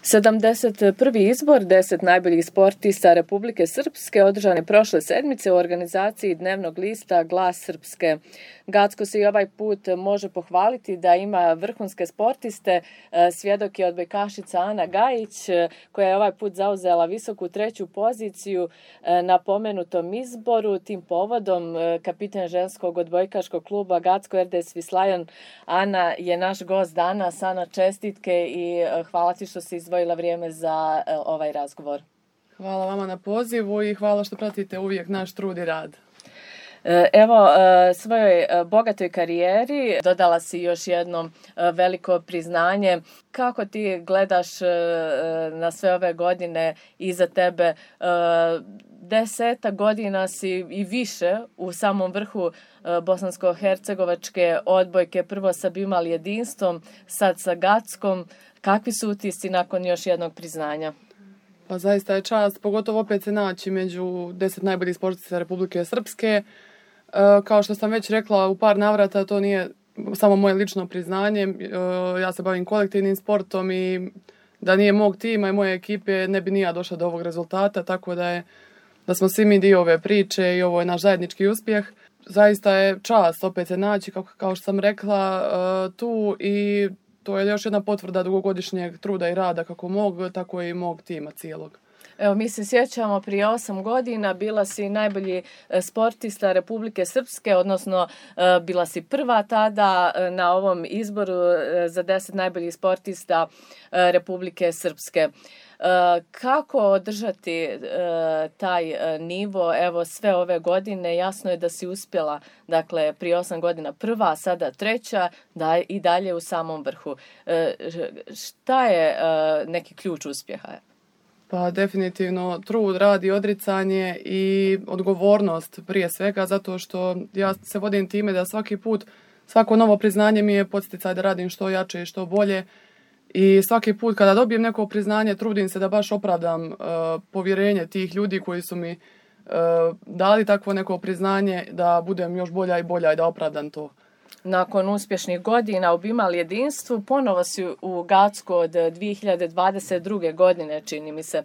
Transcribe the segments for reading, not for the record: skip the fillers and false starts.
71. izbor 10 najboljih sportista Republike Srpske održan je prošle sedmice u organizaciji dnevnog lista Glas Srpske. Gacko se i ovaj put može pohvaliti da ima vrhunske sportiste. Svjedok je odbojkašica Ana Gajić, koja je ovaj put zauzela visoku 3. poziciju na pomenutom izboru. Tim povodom kapitan ženskog odbojkaškog kluba Gacko RDS Vislajan Ana je naš gost danas. Ana, čestitke i hvala ti što si izdvojila vrijeme za ovaj razgovor. Hvala vama na pozivu i hvala što pratite uvijek naš trud i rad. Evo, svojoj bogatoj karijeri dodala si još jedno veliko priznanje. Kako ti gledaš na sve ove godine iza tebe? 10 godina si i više u samom vrhu bosansko-hercegovačke odbojke. Prvo sa Bimal jedinstvom, sad sa Gackom. Kakvi su utisci nakon još jednog priznanja? Pa zaista je čast, pogotovo opet se naći među 10 najboljih sportista Republike Srpske. Kao što sam već rekla u par navrata, to nije samo moje lično priznanje. Ja se bavim kolektivnim sportom i da nije mog tima i moje ekipe ne bi ni ja došla do ovog rezultata, tako da smo svi mi dio ove priče i ovo je naš zajednički uspjeh. Zaista je čast opet se naći, kao što sam rekla, tu i to je još jedna potvrda dugogodišnjeg truda i rada kako mog, tako i mog tima cijelog. Evo, mi se sjećamo prije 8 godina, bila si najbolji sportista Republike Srpske, odnosno bila si prva tada na ovom izboru za 10 najboljih sportista Republike Srpske. Kako održati taj nivo, evo sve ove godine? Jasno je da si uspjela, dakle prije 8 godina prva, sada 3. da i dalje u samom vrhu. Šta je neki ključ uspjeha? Pa definitivno trud, rad i odricanje i odgovornost prije svega, zato što ja se vodim time da svaki put, svako novo priznanje mi je podsticaj da radim što jače i što bolje. I svaki put kada dobijem neko priznanje trudim se da baš opravdam povjerenje tih ljudi koji su mi dali takvo neko priznanje, da budem još bolja i bolja i da opravdam to. Nakon uspješnih godina u Bimal jedinstvu, ponovo si u Gacku od 2022. godine, čini mi se.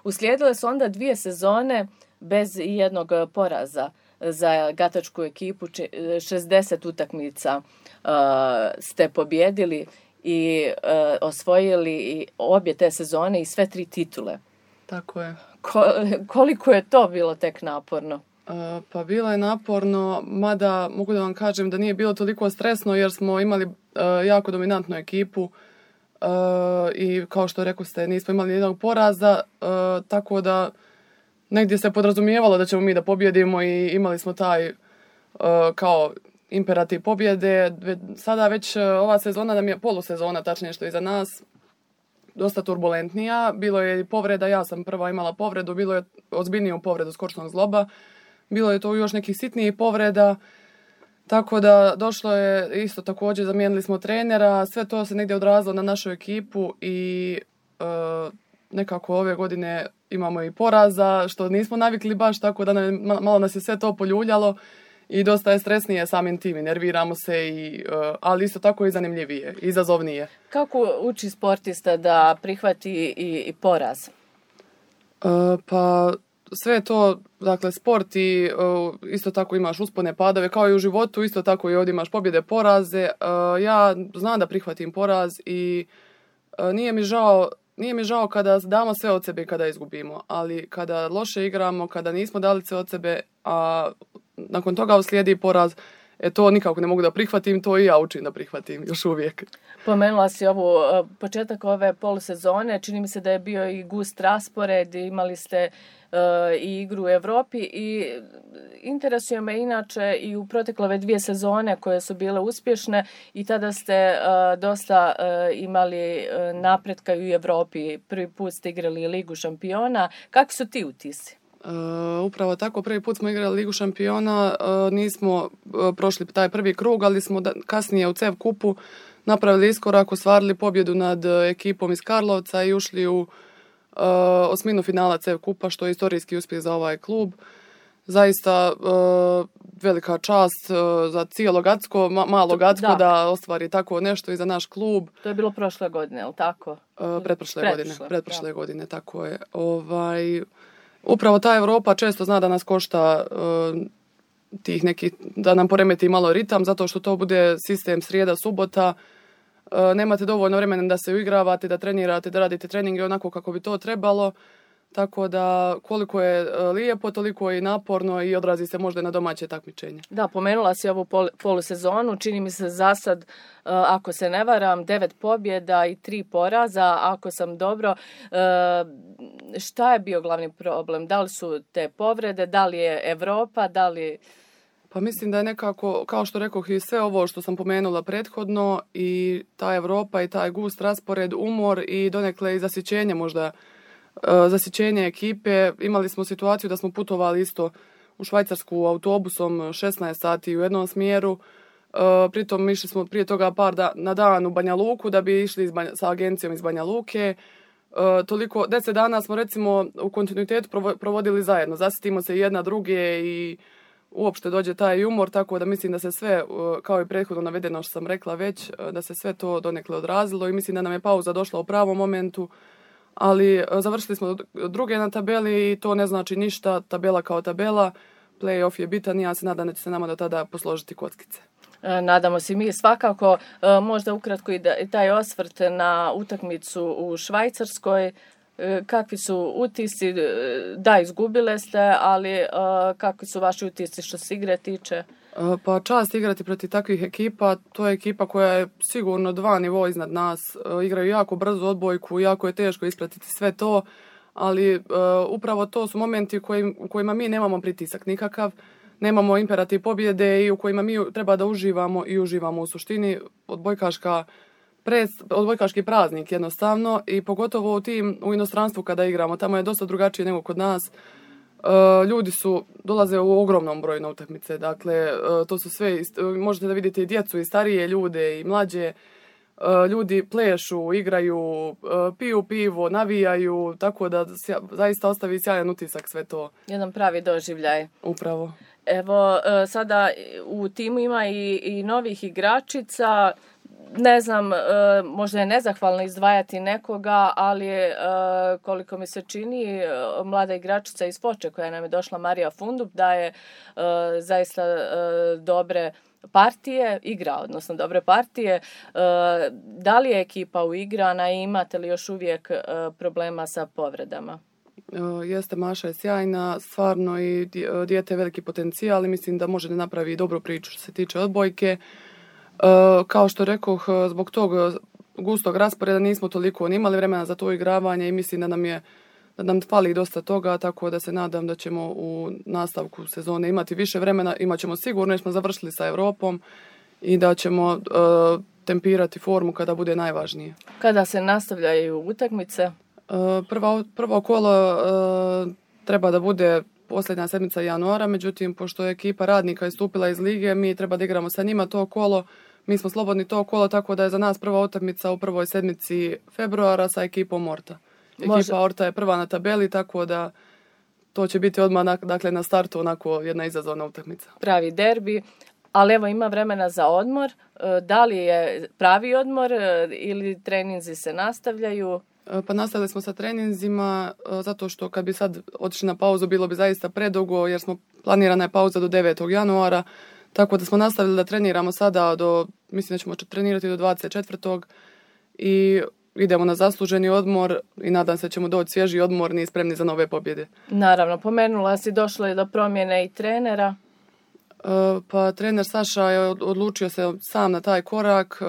Uslijedile su onda 2 sezone bez jednog poraza za gatačku ekipu. 60 utakmica ste pobjedili i osvojili i obje te sezone i sve 3 titule. Tako je. Koliko je to bilo tek naporno? Pa bilo je naporno, mada mogu da vam kažem da nije bilo toliko stresno jer smo imali jako dominantnu ekipu i kao što rekoste nismo imali jednog poraza, tako da negdje se podrazumijevalo da ćemo mi da pobjedimo i imali smo taj kao imperativ pobjede. Sada već ova sezona nam je polusezona, tačnije što je iza nas, dosta turbulentnija. Bilo je povreda, ja sam prva imala povredu, bilo je ozbiljniju povredu skočnog zgloba. Bilo je to još nekih sitnijih povreda, tako da došlo je isto također, zamijenili smo trenera, sve to se negdje odrazilo na našu ekipu i nekako ove godine imamo i poraza, što nismo navikli baš, tako da malo nas je sve to poljuljalo i dosta je stresnije samim tim i nerviramo se, ali isto tako i zanimljivije, izazovnije. Kako uči sportista da prihvati i poraz? Pa sve to, dakle, sport i isto tako imaš uspone, padove, kao i u životu, isto tako i ovdje imaš pobjede, poraze. Ja znam da prihvatim poraz i nije mi žao kada damo sve od sebe i kada izgubimo, ali kada loše igramo, kada nismo dali sve od sebe, a nakon toga uslijedi poraz, to nikako ne mogu da prihvatim, to i ja učim da prihvatim još uvijek. Pomenula si početak ove polusezone, čini mi se da je bio i gust raspored, imali ste i igru u Europi i interesuje me inače i u protekle ove 2 sezone koje su bile uspješne i tada ste dosta imali napretka i u Europi. Prvi put ste igrali Ligu šampiona. Kakvi su ti utisci? Upravo tako, prvi put smo igrali Ligu šampiona, nismo prošli taj prvi krug, ali smo kasnije u CEV kupu napravili iskorak, ostvarili pobjedu nad ekipom iz Karlovca i ušli u osminu finala CEV kupa, što je istorijski uspjeh za ovaj klub. zaista velika čast za cijelo Gacko, malo Gacko da ostvari tako nešto i za naš klub. To je bilo prošle godine, je li tako? Pretprošle godine, tako je. Upravo ta Europa često zna da nas košta tih nekih, da nam poremeti malo ritam, zato što to bude sistem srijeda, subota. Nemate dovoljno vremena da se uigravate, da trenirate, da radite treninge onako kako bi to trebalo. Tako da koliko je lijepo, toliko je i naporno i odrazi se možda na domaće takmičenje. Da, pomenula si ovu polusezonu, čini mi se za sad, ako se ne varam, 9 pobjeda i 3 poraza. Ako sam dobro, šta je bio glavni problem? Da li su te povrede, da li je Europa, da li... Pa mislim da je nekako, kao što rekoh, i sve ovo što sam pomenula prethodno i ta Europa i taj gust raspored, umor i donekle i zasićenje možda, zasićenje ekipe. Imali smo situaciju da smo putovali isto u Švajcarsku autobusom 16 sati u jednom smjeru. Pritom išli smo prije toga na dan u Banja Luku da bi išli sa agencijom iz Banja Luke. 10 dana smo recimo u kontinuitetu provodili zajedno. Zasitimo se jedna druge i uopšte dođe taj umor, tako da mislim da se sve, kao i prethodno navedeno što sam rekla već, da se sve to donekle odrazilo i mislim da nam je pauza došla u pravom momentu, ali završili smo druge na tabeli i to ne znači ništa, tabela kao tabela, play-off je bitan i ja se nadam da će se nama do tada posložiti kockice. Nadamo se mi svakako, možda ukratko i taj osvrt na utakmicu u Švajcarskoj. Kakvi su utisci? Da, izgubile ste, ali kakvi su vaši utisci što se igre tiče? Pa čast igrati protiv takvih ekipa, to je ekipa koja je sigurno 2 nivoa iznad nas, igraju jako brzo odbojku, jako je teško ispratiti sve to, ali upravo to su momenti u kojima mi nemamo pritisak nikakav, nemamo imperativ pobjede i u kojima mi treba da uživamo i uživamo u suštini odbojkaški praznik jednostavno i pogotovo u inostranstvu kada igramo, tamo je dosta drugačije nego kod nas. Ljudi dolaze u ogromnom broju na utakmice, dakle to su sve, možete da vidite i djecu i starije ljude i mlađe, ljudi plešu, igraju, piju pivo, navijaju, tako da zaista ostavi sjajan utisak sve to. Jedan pravi doživljaj. Upravo. Evo, sada u timu ima i novih igračica. Ne znam, možda je nezahvalno izdvajati nekoga, ali koliko mi se čini, mlada igračica iz Foče koja nam je došla, Marija Fundup, daje zaista dobre partije. Da li je ekipa uigrana i imate li još uvijek problema sa povredama? Jeste, Maša je sjajna, stvarno i dijete je veliki potencijal i mislim da može da napravi dobru priču što se tiče odbojke. Kao što rekoh, zbog tog gustog rasporeda nismo toliko ni imali vremena za to igravanje i mislim da nam fali dosta toga, tako da se nadam da ćemo u nastavku sezone imati više vremena, imat ćemo sigurno jer smo završili sa Europom i da ćemo tempirati formu kada bude najvažnije. Kada se nastavljaju utakmice? Prvo kolo treba da bude posljednja sedmica januara, međutim, pošto je ekipa radnika istupila iz lige, mi treba da igramo sa njima to kolo. Mi smo slobodni to kolo, tako da je za nas prva utakmica u prvoj sedmici februara sa ekipom Orta. Ekipa Orta je prva na tabeli, tako da to će biti odmah na startu onako jedna izazovna utakmica. Pravi derbi, ali evo ima vremena za odmor. Da li je pravi odmor ili treninzi se nastavljaju? Pa nastavili smo sa treninzima zato što kad bi sad otišli na pauzu bilo bi zaista predugo jer planirana je pauza do 9. januara, tako da smo nastavili da treniramo sada mislim da ćemo trenirati do 24. i idemo na zasluženi odmor i nadam se da ćemo doći svježi, odmorni i spremni za nove pobjede. Naravno, pomenula si došlo je do promjene i trenera. Pa trener Saša je odlučio se sam na taj korak,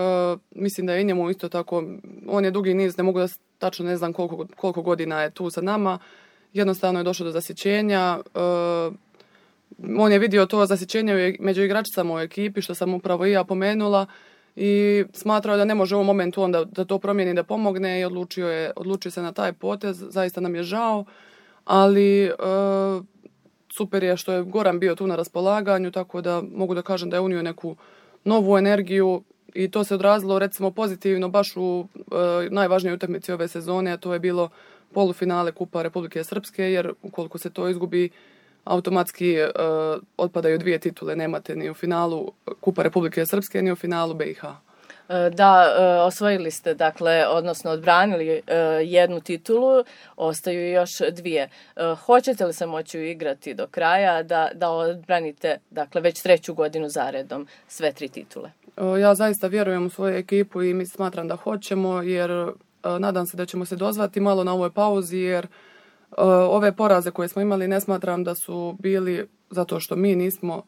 mislim da je i njemu isto tako, on je dugi niz, ne mogu da tačno ne znam koliko godina je tu sa nama, jednostavno je došlo do zasićenja, on je vidio to zasićenje među igračicama u ekipi, što sam upravo i ja pomenula i smatrao da ne može u ovom momentu onda da to promijeni, da pomogne i odlučio se na taj potez, zaista nam je žao, ali super je što je Goran bio tu na raspolaganju, tako da mogu da kažem da je unio neku novu energiju i to se odrazilo recimo pozitivno baš u najvažnijoj utakmici ove sezone, a to je bilo polufinale Kupa Republike Srpske, jer ukoliko se to izgubi, automatski otpadaju 2 titule. Nemate ni u finalu Kupa Republike Srpske, ni u finalu BiH. Da, osvojili ste, dakle, odnosno odbranili jednu titulu, ostaju još 2. Hoćete li se moći igrati do kraja da odbranite, dakle, već 3. godinu zaredom sve 3 titule? Ja zaista vjerujem u svoju ekipu i smatram da hoćemo, jer nadam se da ćemo se dozvati malo na ovoj pauzi, jer ove poraze koje smo imali ne smatram da su bili zato što mi nismo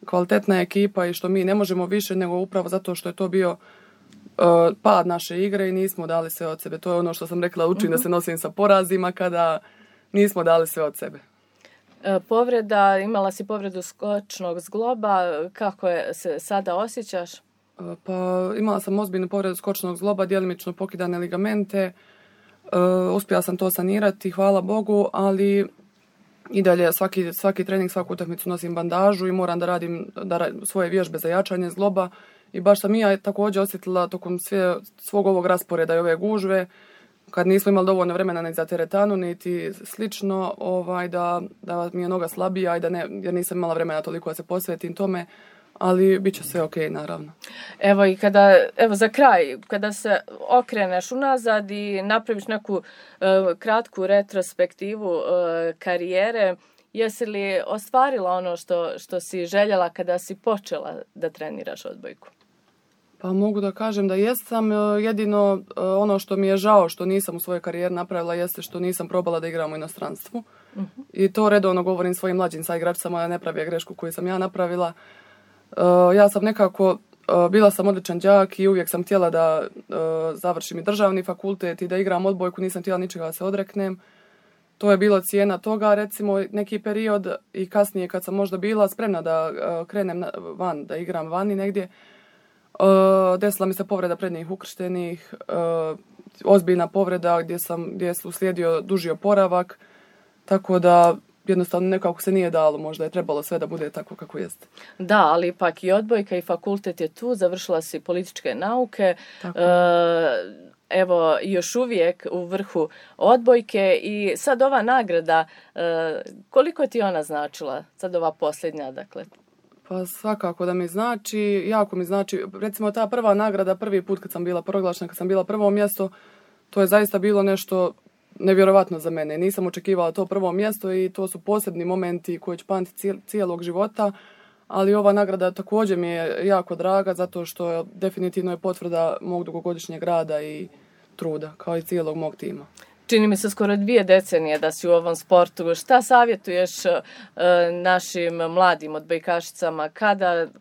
kvalitetna ekipa i što mi ne možemo više, nego upravo zato što je to bio pad naše igre i nismo dali sve od sebe. To je ono što sam rekla, učim da se nosim sa porazima kada nismo dali sve od sebe. Povreda, imala si povredu skočnog zgloba, kako se sada osjećaš? Pa imala sam ozbiljnu povredu skočnog zgloba, djelimično pokidane ligamente. Uspjela sam to sanirati, hvala Bogu, ali i dalje svaki trening, svaku utakmicu nosim bandažu i moram da radim svoje vježbe za jačanje zgloba. I baš sam i ja također osjetila tokom svog ovog rasporeda i ove gužve, kad nismo imali dovoljno vremena ni za teretanu, niti slično, da mi je noga slabija i jer nisam imala vremena toliko da se posvetim tome, ali bit će sve ok, naravno. Evo za kraj, kada se okreneš unazad i napraviš neku kratku retrospektivu karijere, jesi li ostvarila ono što si željela kada si počela da treniraš odbojku? Pa mogu da kažem da jesam, jedino ono što mi je žao što nisam u svojoj karijeri napravila jeste što nisam probala da igram u inostranstvu. I to redovno govorim svojim mlađim saigračicama da ne prave grešku koju sam ja napravila. Ja sam nekako, bila sam odličan đak i uvijek sam htjela da završim i državni fakultet i da igram odbojku, nisam htjela ničega da se odreknem. To je bilo cijena toga, recimo neki period i kasnije kad sam možda bila spremna da krenem van, da igram vani negdje. Desila mi se povreda prednjih ukrštenih, ozbiljna povreda gdje je uslijedio duži oporavak, tako da jednostavno nekako se nije dalo, možda je trebalo sve da bude tako kako jeste. Da, ali ipak i odbojka i fakultet je tu, završila si političke nauke, evo još uvijek u vrhu odbojke i sad ova nagrada, koliko ti ona značila, sad ova posljednja, dakle? Pa svakako da mi znači, jako mi znači, recimo ta prva nagrada, prvi put kad sam bila proglašena, kad sam bila prvo mjesto, to je zaista bilo nešto nevjerovatno za mene. Nisam očekivala to prvo mjesto i to su posebni momenti koji ću pamtiti cijelog života, ali ova nagrada također mi je jako draga zato što definitivno je potvrda mog dugogodišnjeg rada i truda, kao i cijelog mog tima. Čini mi se skoro 2 decenije da si u ovom sportu. Šta savjetuješ našim mladim odbojkašicama,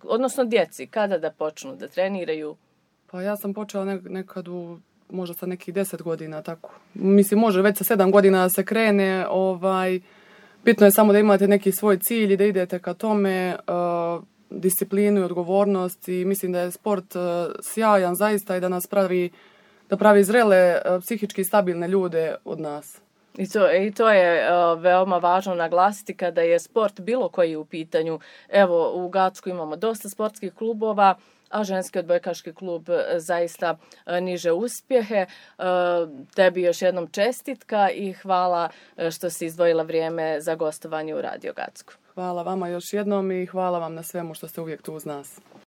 odnosno djeci, kada da počnu da treniraju? Pa ja sam počela nekad možda sa nekih 10 godina, tako. Mislim, može već sa 7 godina da se krene. Bitno je samo da imate neki svoj cilj i da idete ka tome, disciplinu i odgovornost i mislim da je sport sjajan zaista i da nas pravi zrele, psihički stabilne ljude od nas. I to je veoma važno naglasiti kada je sport bilo koji u pitanju. Evo, u Gacku imamo dosta sportskih klubova, a ženski odbojkaški klub zaista niže uspjehe. Tebi još jednom čestitka i hvala što si izdvojila vrijeme za gostovanje u Radio Gacku. Hvala vama još jednom i hvala vam na svemu što ste uvijek tu uz nas.